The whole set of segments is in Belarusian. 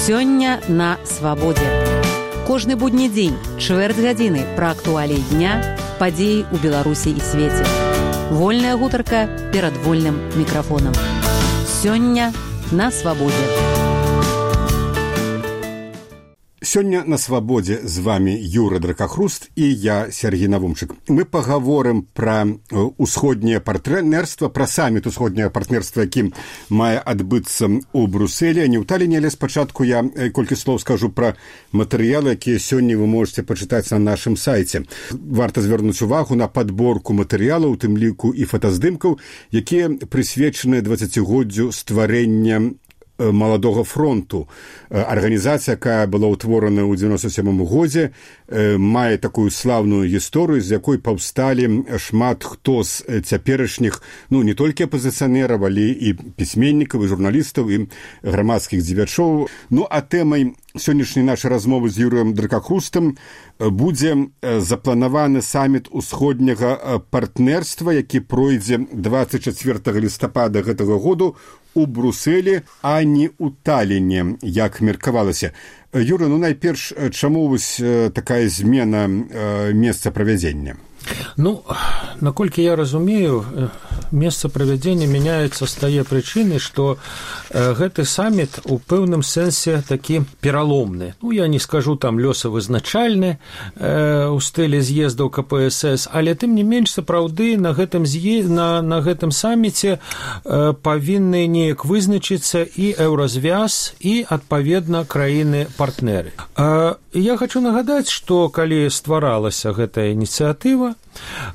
Сёння на свабодзе. Кожны будні дзень, чвэрць гадзіны пра актуаліі дня, падзеі ў Беларусі і свеце. Вольная гутарка перад вольным мікрафонам. Сёння на свабодзе. Сёння на свабодзе з вами Юра Дракахруст і я, Сергей Навумчык. Мы пагаворым пра усходняе партнерства, пра саміт усходняе партнерства, якім мае адбыцца ў Брусэлі, а не ў Таліне, але спачатку я колькі слоў скажу пра матэрыялы, якія сёння вы можете пачытаць на нашым сайце. Варта звярнуць увагу на падборку матэрыялаў, у тым ліку і фотаздымкаў, якія прысвечаны 20-годдзю стварэння Маладога фронту. Арганізацыя, якая была ўтворана ў 97 годзе, мае такую слаўную гісторыю, з якой паўсталі шмат хто з цяперашніх, не толькі апазіцыянераў, але і пісьменнікаў, і журналістаў, і грамадскіх дзеячоў. А тэмай сённяшняй нашай размовы з Юрыем Дракахрустам будзе запланаваны саміт усходняга партнерства, які пройдзе 24 лістапада гэтага году у Брусэлі, а не ў Таліне, як меркавалася. Юра, найперш, чаму вось такая змена месца правядзення? Наколькі я разумею, месца правядзення мяняецца з тае прычыны, што гэты саміт у пэўным сэнсе такі пераломны. Я не скажу там лёсавызначальны у стылі з'ездаў КПСС, але тым не менш сапраўды на гэтым саміце павінны неяк вызначыцца і Еўразвяз, і адпаведна краіны-партнеры. Я хочу нагадаць, што калі стваралася гэтая ініцыятыва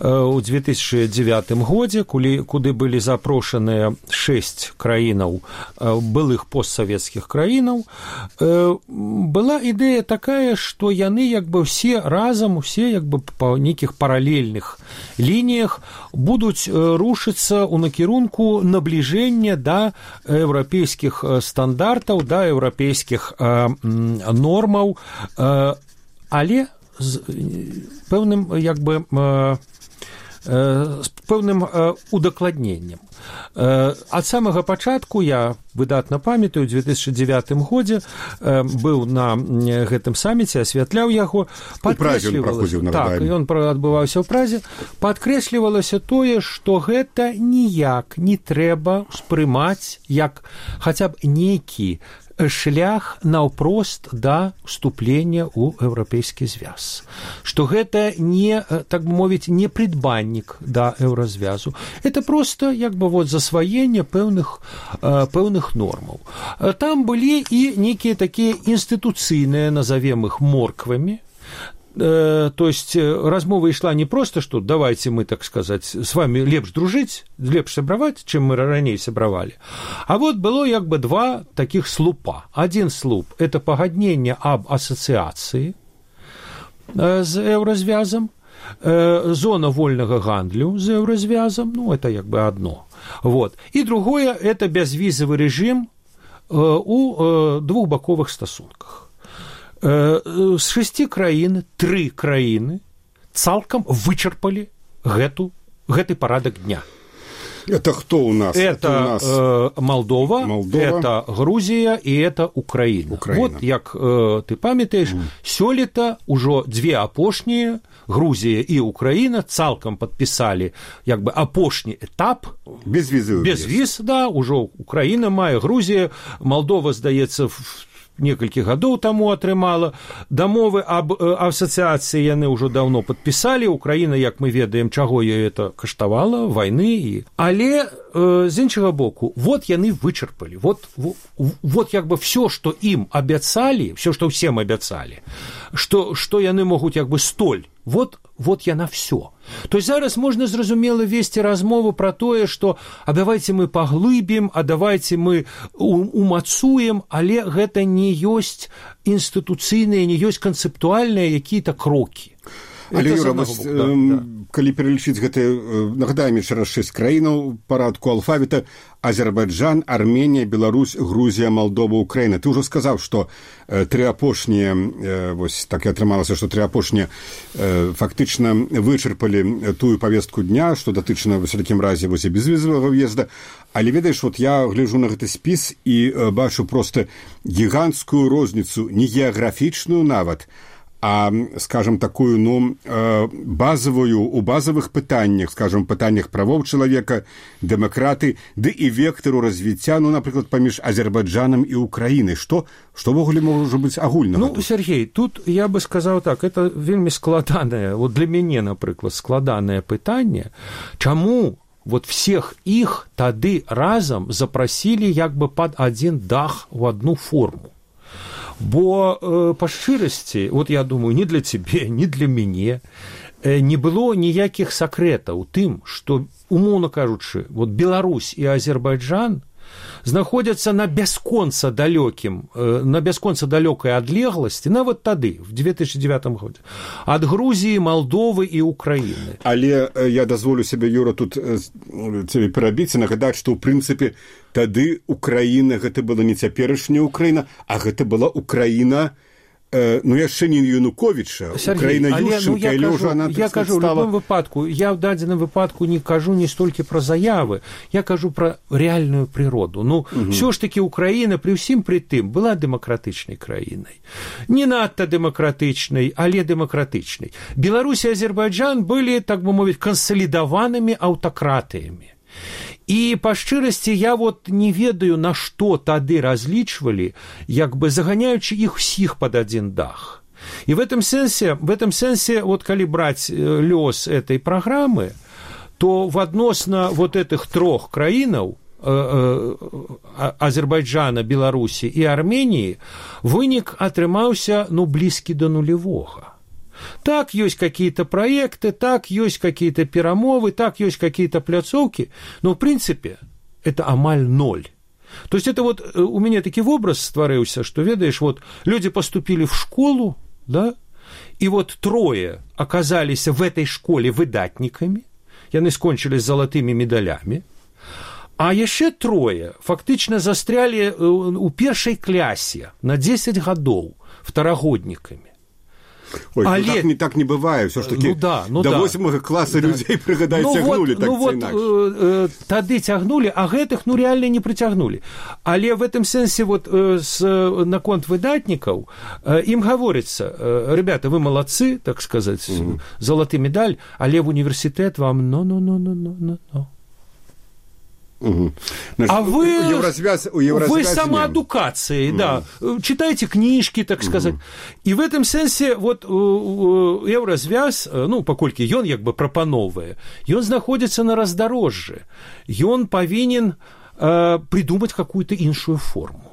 у 2009 годзе, куды былі запрошаныя 6 краінаў, былых постсавецкіх краінаў, была ідэя такая, што яны все разам, па нейкіх паралельных лініях будуць рушыцца ў накірунку набліжэння да еўрапейскіх стандартаў, да еўрапейскіх нормаў, але з пэўным удакладненнем. Ад самага пачатку я выдатна памятаю, у 2009 годзе быў на гэтым саміце, асвятляў яго, ён адбываўся ў Празе, падкрэслівалася тое, што гэта ніяк не трэба спрымаць як хаця б нейкі шлях наўпрост да ўступлення ў еўрапейскі звяз. Што гэта не, так бы мовіць, не прыдбаннік да еўразвязу. Это проста засваенне пэўных нормаў. Там былі і нейкія такія інстытуцыйныя, назовем іх морквамі. То есть размова ішла не просто, что давайте мы, так сказать, с вами лепш дружить, лепш сябраваць, чым мы раней сябравалі. А было два таких слупа. Один слуп – это пагадненне аб асацыяцыі з еўразвязам, зона вольнага гандлю з еўразвязам, это одно. И другое – это бязвізавы рэжым у двухбаковых стасунках. З 6 краін 3 краіны цалкам вычарпалі гэты парадак дня. Это кто у нас? Это Молдова, это Грузія і это Украіна. Як ты памятаеш, сёлета ўжо 2 апошнія, Грузія і Украіна, цалкам падпісалі апошні этап. Без віз, ўжо Украіна мае, Грузія, Молдова, здаецца, некалькі гадоў таму атрымала. Дамовы аб асацыяцыі яны ўжо даўно падпісалі. Украіна, як мы ведаем, чаго ёй это каштавала, вайны. Але з іншага боку, яны вычарпалі. Всё, што ім абяцалі, всё, што ўсім абяцалі, што яны могуць столь. Яна всё. То есть зараз можна зразумела весці размову пра тое, што давайте мы паглыбім, давайте мы умацуем, але гэта не ёсць інстытуцыйныя, не ёсць канцэптуальныя якія-то крокі. Але, Юра, калі пералічыць гэтыя, нагадаем яшчэ раз 6 краінаў парадку алфавіта: Азербайджан, Арменія, Беларусь, Грузія, Малдова, Украіна. Ты ўжо сказаў, што тры апошнія, вось так і атрымалася, што тры апошнія фактычна вычарпалі тую павестку дня, што датычна ва всякім разе вось і безвізавага в'езда. Але ведаеш, вот я гляджу на гэты спіс і бачу проста гіганцкую розніцу, не геаграфічную нават, а, скажем, такую, базовую, у базовых пытаннях, скажем, пытаннях правоў чалавека, дэмакраты, ды і вектару развіцця, напрыклад, паміж Азербайджанам і Украінай. Што ввогуле можа быць агульнага? Сергей, тут я бы сказаў так, это вельмі складанае, вот для мяне, напрыклад, складанае пытанне, чаму вот всех их тады разам запрасілі як бы пад адзін дах у одну форму. Бо па шчырасці, вот я думаю, ні для цябе, ні для мяне не было ніякіх сакрэтаў тым, што, умоўна кажучы, вот Беларусь і Азербайджан знаходзяцца на бясконца далёкай адлегласці, нават тады, в 2009 годзе, ад Грузіі, Малдовы і Украіны. Але я дазволю сябе, Юра, тут цябе перабіць і нагадаць, што ў прынцыпе тады Украіна гэта была не цяперашняя Украіна, а гэта была Украіна, яшчэ не Януковіча, Украіна Ющенка, але ўжо она я кажу, стала... в любым выпадку, я в дадзеным выпадку не кажу не столькі пра заявы, я кажу пра рэальную прыроду. Ўсё ж такі Украіна пры ўсім пры тым была дэмакратычнай краінай. Не надта дэмакратычнай, але дэмакратычнай. Беларусь і Азербайджан былі, так бы мовіць, кансалідаванымі аўтакратыямі. І па шчырасці я вот не ведаю, на што тады разлічвалі, як бы заганяючы іх усіх пад адзін дах. І в этом сэнсе, вот калі браць лёс этой праграмы, то адносна вот этих трох краінаў, Азербайджана, Беларусі і Арменіі, вынік атрымаўся, блізкі да нулевога. Так, есть какие-то проекты, так, есть какие-то перамовы, так, есть какие-то пляцоўкі, но, в принципе, это амаль ноль. То есть это вот у меня такі образ стварыўся, что, ведаешь, вот люди поступили в школу, да, и вот трое оказались в этой школе выдатниками, яны скончили с золотыми медалями, а яшчэ трое фактычна застрялі у першай клясе на 10 гадоў второгоднікамі. Ой, так не бывае, все ж таки до 8 класа людей, прыгадай, цягнули, так ці інакш. Тады цягнули, а гэтых, реально не прыцягнули. Але в этом сэнсе, вот, наконт выдатнікаў, ім гаворыцца: ребята, вы молодцы, так сказать, золоты медаль, але в университет вам А вы самоадукацией, да, читайте книжки, так сказать. И в этом сенсе вот Еўразвяз, паколькі ён як бы прапановвае, ён знаходзіцца на раздарожжы, ён павінен придумать какую-то іншую форму.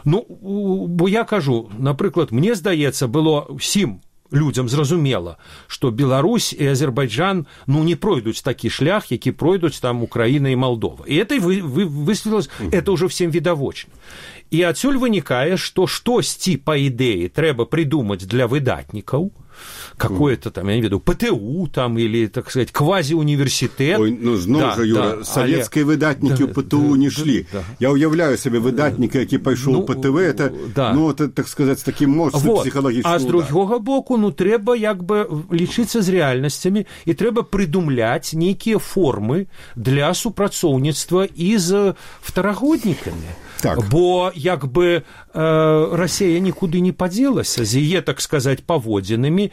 Бо я кажу, напрыклад, мне здаецца, было всім людям зразумела, што Беларусь і Азербайджан не пройдуць такі шлях, які пройдуць там Украіна і Малдова. І это высветлілася, это ўжо всем відавочна. І адсюль вынікае, што штосьці, па ідэі, трэба придумаць для выдатнікаў, какое-то там, я не ведаю, ПТУ там, или, так сказать, квазі-універсітэт. Ой, зноў жа, Юра, савецкія выдатнікі ў ПТУ не шлі. Я уяўляю сабе выдатніка, які пайшоў у ПТВ, это, так сказать, з такім моцным псіхалагічным ударам. А з другога боку, трэба як бы лічыцца з рэальнасцямі, і трэба прыдумляць нейкія формы для супрацоўніцтва і з второгоднікамі. Так. Бо як бы Расія нікуды не падзелася з яе, так сказать, паводзінамі,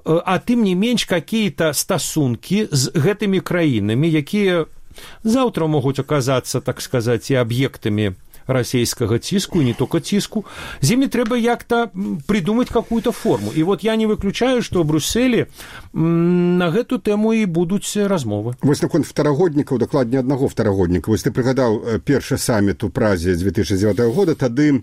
а тым не менш какие-то стасункі з гэтымі краінамі, якія заўтра могуць аказацца, так сказать, і аб'ектамі расійскага ціску, і не только ціску, з імі трэба як-то придумать какую-то форму. І вот я не выключаю, што ў Брюсселі на гэту тэму і будуць размовы. Вось наконт второгоднікаў, дакладней аднаго второгодніка. Вось ты прыгадаў першы саміт у Празе 2009 года, тады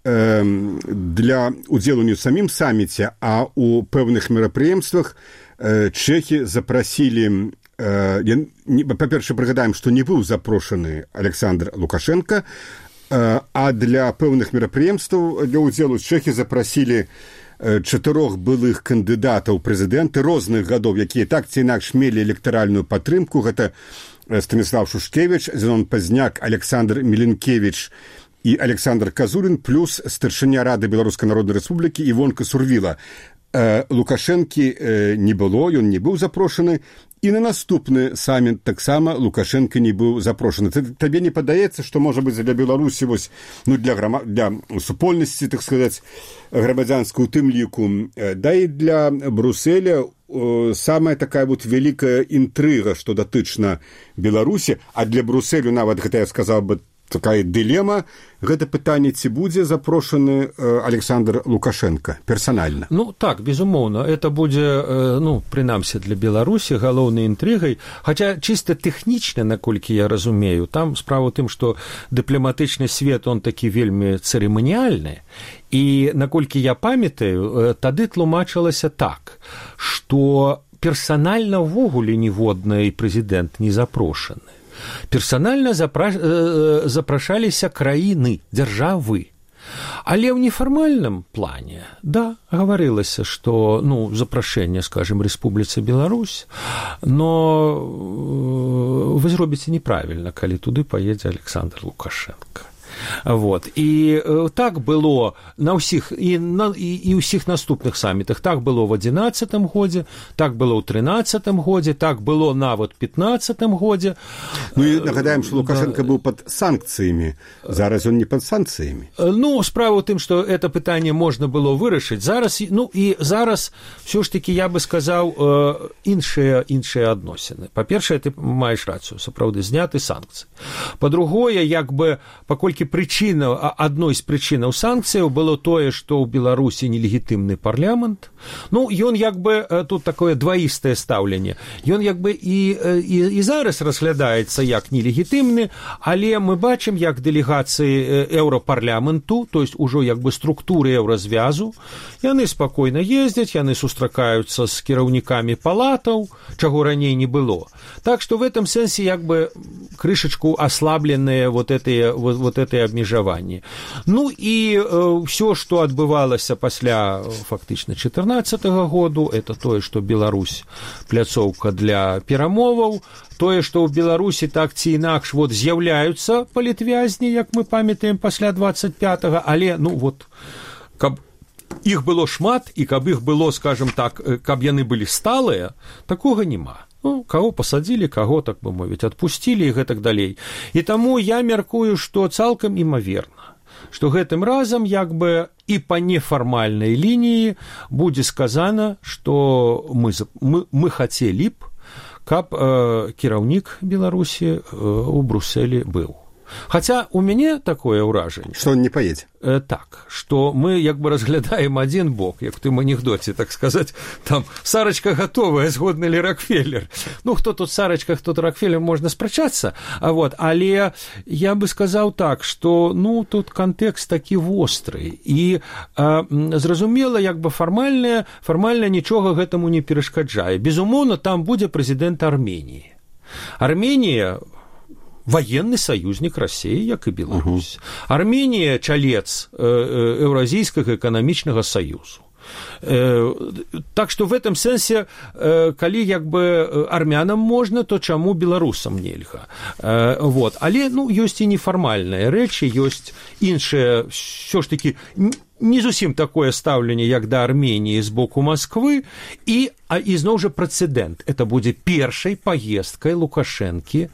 для удзелу не ў самім саміце, а ў пэўных мерапрыемствах чэхі запрасілі, па-перша, прыгадаем, што не быў запрошаны Александр Лукашенко, а для пэўных мерапрыемстваў для ўдзелу чэхі запрасілі 4 былых кандыдатаў прэзідэнты розных гадоў, якія так ці інакш мелі электаральную падтрымку. Гэта Станіслав Шушкевіч, Зенон Пазняк, Александр Міленкевіч і Александр Казурин, плюс старшыня Рады Беларускай Народнай Рэспублікі Івонка Сурвіла. Лукашэнкі не было, ён не быў запрошаны, і на наступны саміт таксама Лукашенко не быў запрошаны. Табе не падаецца, што, можа быць, для Беларусі, вось, ну, для супольнасці, так сказаць, грамадзянскай у тым ліку, да і для Брюсселя самая такая вот вялікая інтрыга, што датычна Беларусі, а для Брюсселю нават, гэта я сказаў бы, такая дылема, гэта пытанне, ці будзе запрошаны Александр Лукашенко персанальна. Ну, так, безумоўна, это будзе, ну, прынамсі для Беларусі галоўнай інтрыгай, хаця чыста тэхнічна, наколькі я разумею, там справа ў тым, што дыпламатычны свет, он такі вельмі цырыманіяльны, і наколькі я памятаю, тады тлумачылася так, што персанальна ўвогуле ніводны прэзідэнт не запрошаны. Персанальна запрашаліся краіны, дзяржавы. Але ў нефармальным плане, да, гаварылася, што, ну, запрашэнне, скажем, Рэспубліцы Беларусь, но вы зробіце неправільна, калі туды паедзе Александр Лукашенко. Вот. І так было на ўсіх, і ўсіх наступных самітах. Так было ў 11-м годзе, так было ў 13-м годзе, так было нават у 15-м годзе. Ну і нагадаем, што Лукашенко быў пад санкцыямі. Зараз ён не пад санкцыямі. Ну, справа ў тым, што это пытанне можна было вырашыць. Зараз, ну, і зараз ўсё ж такі, я бы сказаў, іншыя адносіны. Па-першае, ты маеш рацыю, сапраўды, зняты санкцыі. Па-другое, як бы, паколькі адной з прычынаў санкцыяў было тое, што ў Беларусі нелегітымны парламент. Ну, ён як бы, тут такое дваістае стаўленне, ён як бы і зараз разглядаецца як нелегітымны, але мы бачым, як дэлегацыі еўрапарламенту, то есть ужо як бы структуры еўразвязу, яны спакойна ездзяць, яны сустракаюцца з кіраўнікамі палатаў, чаго раней не было. Так што в этом сэнсе як бы крышачку аслабленыя вот эти абмежаванні. Ну і ўсё, што адбывалася пасля фактычна 14-го году, это тое, што Беларусь пляцоўка для перамоваў, тое, што ў Беларусі так ці інакш вот з'яўляюцца палітвязні, як мы памятаем пасля 25-го, але, ну вот, каб іх было шмат і каб іх было, скажем так, каб яны былі сталыя, такога няма. Ну, каго пасадзілі, каго, так бы мовіць, адпусцілі і гэтак далей. І таму я мяркую, што цалкам імаверна, што гэтым разам як бы і па нефармальнай лініі будзе сказана, што мы хацелі б, каб кіраўнік Беларусі у Брюсселі быў. Хаця у мяне такое ўражанне, што он не паедзе. Так, што мы як бы разглядаем адзін бок, як у тым анекдоце, так сказаць, там Сарачка гатовая, згодны ли Рокфеллер. Ну, хто тут Сарачка, хто тут Рокфеллер, можна спрачацца, вот, але я бы сказаў так, што, ну, тут кантэкст такі востры, і зразумела, як бы фармальна нічога гэтаму не перашкаджае. Безумоўна, там будзе прэзідэнт Арменіі. Арменія военный союзник России, як и Беларусь. Армения – чалец Еўразійскага эканамічнага союзу. Так что в этом сэнсе, калі як бы армянам можна, то чаму беларусам нельга. Вот. Але, ну, ёсць і нефармальныя рэчы, ёсць іншыя, ўсё ж такі, не зусім такое стаўленне, як да Арменіі з боку Масквы, і зноў жа прэцэдэнт. Это будзе першай паездкай Лукашэнкі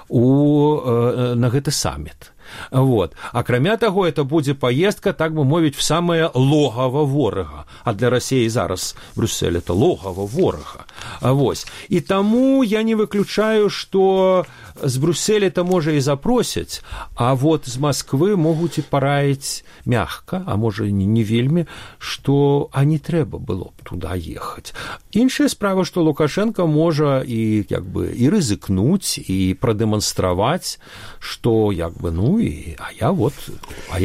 на гэты саміт. Вот. Акрамя таго, это будзе паездка, так бы мовіць, в самае логава ворага. А для России зараз Брюссель это логава ворага. Вось. І таму я не выключаю, што з Брюсселя-то можа і запросяць, а вот з Масквы могуць і параіць мягка, а можа і не вельмі, што не трэба было б туда ехаць. Іншая справа, што Лукашенко можа і як бы і рызыкнуць, і прадэманстраваць, што як бы, ну, а я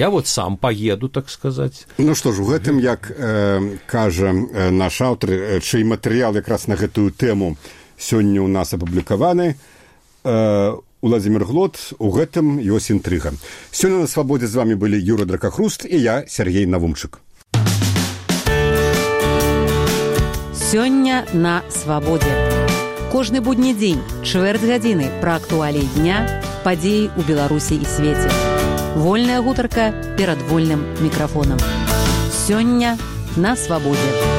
вот сам поеду, так сказаць. Ну што ж, у гэтым, як кажа наш аўтар, чый матэрыял якраз на гэтую тэму сёння ў нас апублікаваны, Уладзімір Глот, у гэтым ёсць інтрыга. Сёння на Свабодзе з вами былі Юра Дракахруст і я, Сергей Навумчык. Сёння на свабодзе. Кожны будні дзень, чвэрць гадзіны пра актуаліі дня, падзеі ў Беларусі і свеце. Вольная гутарка перад вольным мікрафонам. Сёння на свабодзе.